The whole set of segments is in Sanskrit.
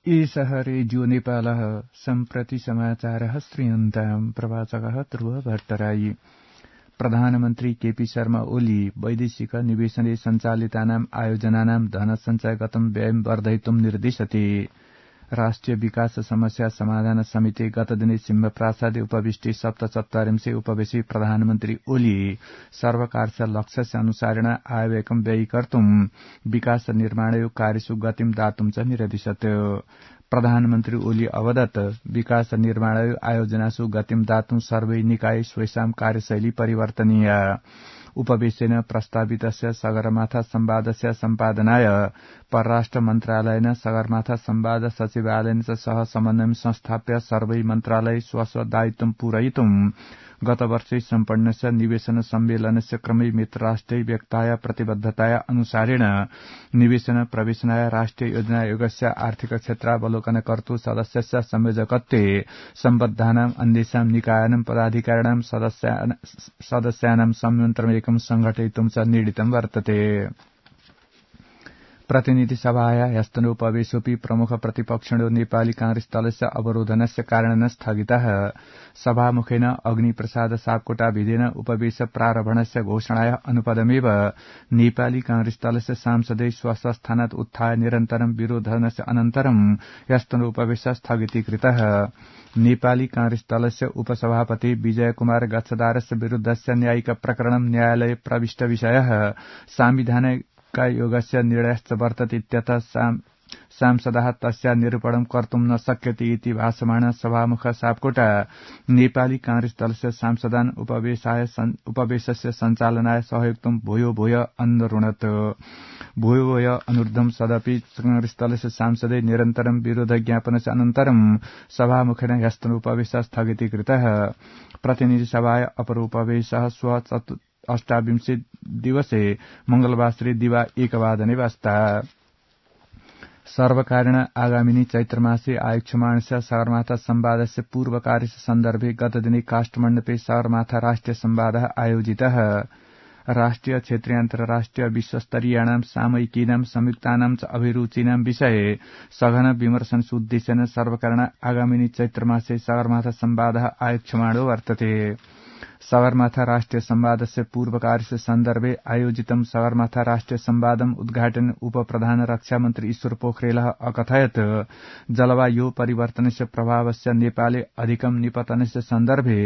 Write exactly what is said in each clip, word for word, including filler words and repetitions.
एषः रेडियो नेपालः सम्प्रति समाचारः श्रूयन्ताम्। प्रवाचकः ध्रुव भट्टराई। प्रधानमन्त्री केपी शर्मा ओली वैदेशिक निवेशने सञ्चालितानाम् आयोजनानां धनसञ्चयगतं व्ययं वर्धयितुं निर्दिशति। राष्ट्रिय विकास समस्या समाधान समिति गतदिने सिंहप्रासादे उपविष्टे सप्तचत्वारिंशे उपवेशे प्रधानमन्त्री ओली सर्वकारस्य लक्ष्यस्य अनुसारेण आयव्ययं व्ययीकर्तुं विकास निर्माणयो कार्यसु गतिं दातुं च निरदिशत्। प्रधानमन्त्री ओली अवदत् विकास निर्माणयो आयोजनासु गतिं दातुं सर्वै निकाय स्वेषां कार्यशैली परिवर्तनीय। उपवेशेन प्रस्तावितस्य सगरमाथा संवादस्य सम्पादनाय परराष्ट्र मन्त्रालयेन सगरमाथा संवाद सचिवालयेन च सह समन्वयं संस्थाप्य सर्वै मन्त्रालय स्वस्व दायित्वं पूरयितुं गतवर्षे सम्पन्नस्य निवेशन सम्मेलनस्य क्रमे मित्रराष्ट्रै व्यक्ताया प्रतिबद्धताया अनुसारेण निवेशन प्रवेशनाय राष्ट्रिय योजना आयोगस्य आर्थिक क्षेत्रावलोकनकर्तृ सदस्यस्य संयोजकत्वे सम्बद्धानाम् अन्येषां निकायानां पदाधिकारिणां सदस्यानां संयन्त्रमेकं संघटयितुं च निर्णीतं वर्तते। प्रतिनिधि सभाया ह्यस्तनोपवेशोऽपि प्रमुख प्रतिपक्षिणो नेपाली कांग्रेस दलस्य अवरोधनस्य कारणेन स्थगितः। सभामुखेन अग्निप्रसाद सापकोटाभिधेन उपवेश प्रारम्भणस्य घोषणाया अनुपदमेव नेपाली कांग्रेस दलस्य सांसदै स्वस्थानात् उत्थाय निरन्तरं विरोधनस्य अनन्तरं ह्यस्तनोपवेश स्थगितीकृतः। नेपाली कांग्रेस दलस्य उपसभापति विजय कुमार गच्छदारस्य विरुद्धस्य न्यायिक प्रकरणं न्यायालये प्रविष्ट विषयः सांविधानिक योगस्य निर्णयश्च वर्तते इत्यतः सांसदः तस्य निरूपणं कर्तुं न शक्यते इति भाषमाण सभामुख सापकोटा नेपाली कांग्रेस दलस्य सांसदान् उपवेशाय उपवेशस्य सञ्चालनाय सहयोक्तुं भूयो भूय अनुरुणत्। भूयो भूय अनुरुद्धं सदपि कांग्रेस दलस्य सांसदै निरन्तरं विरोध ज्ञापनस्य अनन्तरं सभामुखेन ह्यस्तनोपवेश स्थगितीकृतः। प्रतिनिधि सभाय अपर उपवेशः श्व अष्टाविंशे दिवसे मंगलवासरे दिवा एकवादने वास्ता। सर्वकारेण आगामिनी चैत्रमासे आयोक्ष्यमाणस्य सगरमाथा संवादस्य पूर्वकार्यस्य सन्दर्भे गतदिने काष्ठमण्डपे सगरमाथा राष्ट्रिय संवादः आयोजितः। राष्ट्रिय क्षेत्रीय अन्तर्राष्ट्रिय विश्वस्तरीयाणां सामयिकीनां संयुक्तानां च अभिरुचीनां विषये सघन विमर्शनोद्देश्येन सर्वकारेण आगामिनी चैत्रमासे सगरमाथा संवादः आयोक्ष्यमाणो वर्तते। सगरमाथा राष्ट्रिय संवादस्य पूर्वकार्यस्य सन्दर्भे आयोजितं सगरमाथा राष्ट्रिय संवादम् उद्घाटन उप प्रधान रक्षा मन्त्री ईश्वर पोखरेलः अकथयत् जलवायु परिवर्तनस्य प्रभावस्य नेपाले अधिकं निपतनस्य सन्दर्भे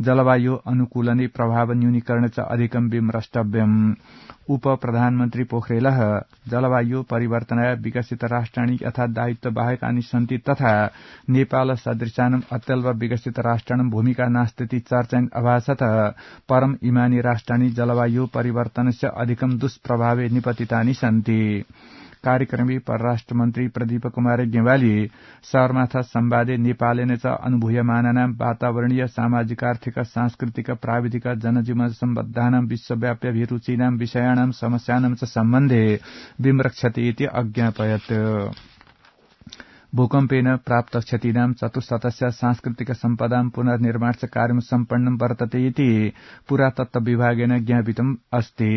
जलवायु अनुकूलने प्रभाव न्यूनीकरण च अधिकं विमृष्टव्यम्। उप प्रधानमन्त्री पोखरेलः जलवायु परिवर्तनाय विकसित राष्ट्राणि यथा दायित्व बाहेकानि सन्ति तथा नेपाल सदृशानाम् अत्यल्प विकसित राष्ट्राणां भूमिका नास्तीति चर्चयन् अभासतः परम इमानी राष्ट्राणि जलवायु परिवर्तनस्य अधिकं दुष्प्रभावे निपतितानि सन्ति। कार्यक्रमे परराष्ट्र मन्त्री प्रदीप कुमार गेवाली सगरमाथा संवादे नेपालेन च अनुभूयमानानां वातावरणीय सामाजिकार्थिक सांस्कृतिक प्राविधिक जनजीवन सम्बद्धानां विश्वव्याप्यभिरुचीनां विषयाणां समस्यानां च सम्बन्धे विमृक्षति इति अज्ञापयत्। भूकम्पेन प्राप्त क्षतीनां चतुष्शतस्य सांस्कृतिक सम्पदां पुनर्निर्माणस्य कार्यं सम्पन्नं वर्तते इति पुरातत्व विभागेन ज्ञापितम् अस्ति।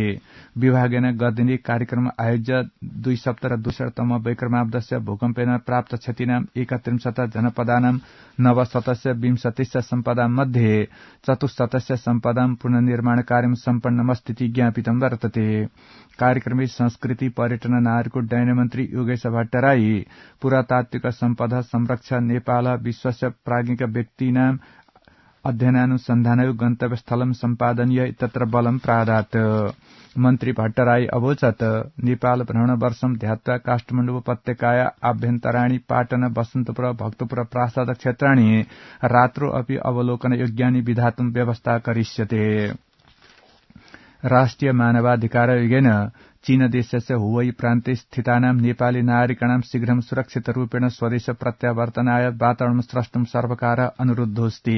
विभागेन गतदिने कार्यक्रम आयोज्य द्विसप्तति दुःशततम वैक्रमाब्दस्य भूकम्पेन प्राप्त क्षतीनां एकत्रिंशत् जनपदानां नवशतस्य विंशतिश्च सम्पदां मध्ये चतुश्शतस्य सम्पदां पुनर्निर्माण कार्यं सम्पन्नमस्तीति ज्ञापितं वर्तते। कार्यक्रमे संस्कृति पर्यटन नागरिक उड्डयन मन्त्री योगेश भट्टराई पुरातात्विक सम्पदा संरक्षण नेपाल विश्वस्य प्राज्ञिक व्यक्तीनां अध्ययनानुसन्धानयो गन्तव्यस्थलं सम्पादनीय तत्र बलं प्रादात्। मन्त्री भट्टराई अवोचत् नेपाल भ्रमण वर्षं ध्यात्वा काष्ठमण्डप उपत्यकाया आभ्यन्तराणि पाटन बसन्तपुर भक्तपुर प्रासाद क्षेत्राणि रात्रौ अपि अवलोकन योग्यानि विधातुं व्यवस्था करिष्यते। राष्ट्रिय मानवाधिकार आयोगेन चीन देशस्य हुवै प्रान्ते स्थितानां नेपाली नागरिकाणां शीघ्रं सुरक्षितरूपेण स्वदेश प्रत्यावर्तनाय वातावरणं स्रष्टुं सर्वकारः अनुरुद्धोऽस्ति।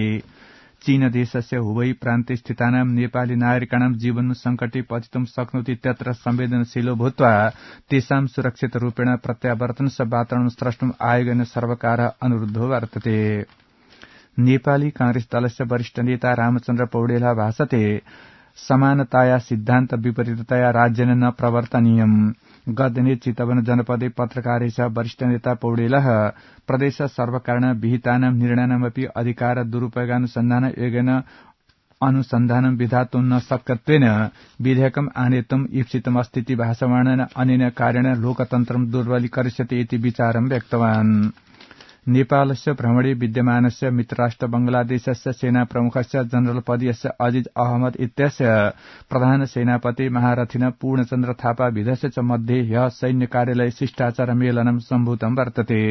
चीन देशस्य हुवै प्रान्ते स्थितानां नेपाली नागरिकाणां जीवनं संकटे पतितुं शक्नोति इत्यत्र संवेदनशीलो भूत्वा तेषां सुरक्षितरूपेण प्रत्यावर्तनस्य वातावरणं स्रष्टुं आयोगेन सर्वकारः अनुरुद्धो वर्तते। नेपाली कांग्रेस दलस्य वरिष्ठ नेता रामचन्द्र पौडेलः भाषते समानताया सिद्धान्त विपरीततया राज्येन न प्रवर्तनीयम्। गतदिने चितवन जनपदे पत्रकारेष वरिष्ठ नेता पौडेलः प्रदेश सर्वकारण विहितानां निर्णयानामपि अधिकार दुरुपयोगानुसन्धान योगेन अनुसन्धानं विधातुं न शक्यत्वेन विधेयकम् आनेतुम् ईप्सितम् अस्तीति भाषमाणेन अनेन कार्येण लोकतन्त्रं दुर्बलीकरिष्यति इति विचारं व्यक्तवान्। नेपालस्य भ्रमणे विद्यमानस्य मित्रराष्ट्र बंगलादेशस्य सेना प्रमुखस्य जनरल पदीयस्य अजीज अहमद इत्यस्य प्रधान सेनापति महारथिन पूर्णचन्द्र थापा विधस्य च मध्ये ह्यः सैन्य कार्यालय शिष्टाचार मेलनं सम्भूतं वर्तते।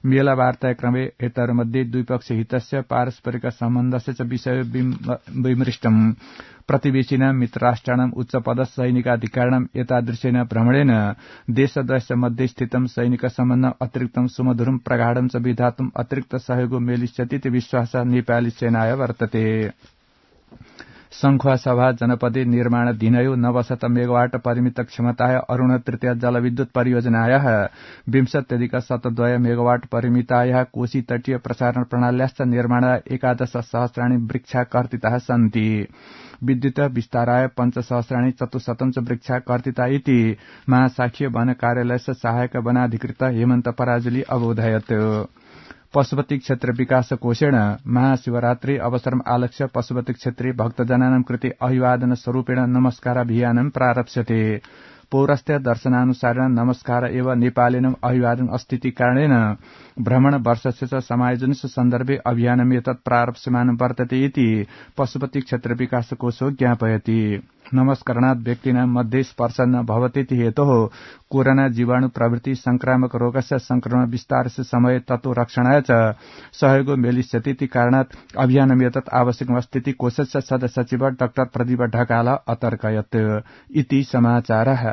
मेला वार्ताक्रमे एतयोर्मध्ये द्विपक्षीय हितस्य पारस्परिक सम्बन्धस्य च विषय विमृष्टम्। प्रतिवेशिनां मित्रराष्ट्राणाम् उच्चपद सैनिकाधिकारिणाम् एतादृशेन भ्रमणेन देशद्वयस्य मध्ये स्थितं सैनिक सम्बन्धम् अतिरिक्तं सुमधुरं प्रगाढं च विधातुम् अतिरिक्त सहयोगो मेलिष्यतीति विश्वासः नेपाली सेनाय वर्तते। संखुवासभा जनपदे निर्माणाधीनयो नवशत मेगावाट परिमित क्षमताय अरुण तृतीय जलविद्युत परियोजनायाः विंशत्यधिक शतद्वय मेगावाट परिमितायाः कोशी तटीय प्रसारण प्रणाल्याश्च निर्माणाय एकादश सहस्राणि वृक्षा कर्तिताः सन्ति। विद्युत विस्ताराय पञ्चसहस्राणि चतुश्शतं च वृक्षा कर्तिता इति महाशाखीय वन कार्यालयस्य सहायक वनाधिकृत हेमन्त पराजुली अबोधयत्। पशुपति क्षेत्र विकास कोषेण महाशिवरात्रि अवसरम् आलक्ष्य पशुपति क्षेत्रे भक्तजनानां कृते अभिवादन स्वरूपेण नमस्काराभियानं प्रारप्स्यते। पौरस्त्य दर्शनानुसारेण नमस्कार एव नेपालिनम् अभिवादन अस्तीति कारणेन भ्रमण वर्षस्य च समायोजनस्य सन्दर्भे अभियानम् एतत् प्रारप्स्यमानं वर्तते इति पशुपति क्षेत्र विकास कोषो ज्ञापयति। नमस्करणात् व्यक्तीनां मध्ये स्पर्श न भवतीति हेतोः कोरोना जीवाणु प्रभृति संक्रामक रोगस्य संक्रमण विस्तारस्य समये ततो रक्षणाय च सहयोगो मेलिष्यतीति कारणात् अभियानम् एतत् आवश्यकमस्तीति कोषस्य सदस्य सचिव डाक्टर प्रदीप ढकाल अतर्कयत् इति समाचारः।